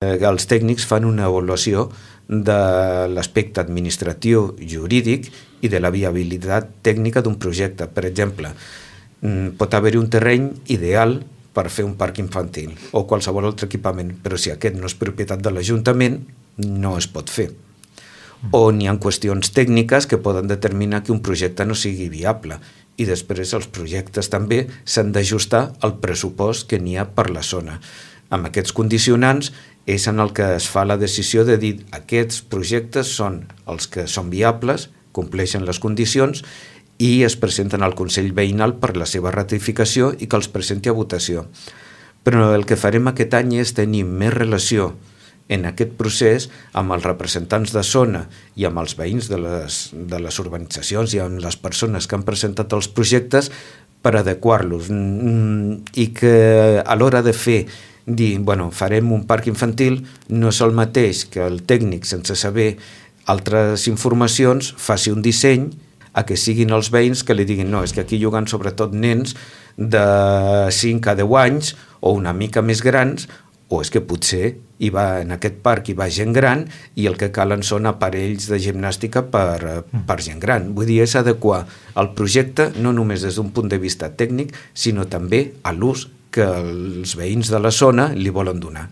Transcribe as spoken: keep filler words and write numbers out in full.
Els tècnics fan una avaluació de l'aspecte administratiu jurídic i de la viabilitat tècnica d'un projecte. Per exemple, pot haver-hi un terreny ideal per fer un parc infantil o qualsevol altre equipament, però si aquest no és propietat de l'Ajuntament, no es pot fer. O n'hi ha qüestions tècniques que poden determinar que un projecte no sigui viable, i després els projectes també s'han d'ajustar al pressupost que n'hi ha per la zona. Amb aquests condicionants és en el que es fa la decisió de dir aquests projectes són els que són viables, compleixen les condicions i es presenten al Consell Veïnal per la seva ratificació i que els presenti a votació. Però el que farem aquest any és tenir més relació en aquest procés amb els representants de zona i amb els veïns de les, de les urbanitzacions i amb les persones que han presentat els projectes per adequar-los i que a l'hora de fer dir, bueno, farem un parc infantil, no és el mateix que el tècnic, sense saber altres informacions, faci un disseny a que siguin els veïns que li diguin no, és que aquí juguen sobretot nens de cinc a deu anys o una mica més grans, o és que potser hi va, en aquest parc hi va gent gran i el que calen són aparells de gimnàstica per, per gent gran. Vull dir, és adequar el projecte no només des d'un punt de vista tècnic, sinó també a l'ús que els veïns de la zona li volen donar.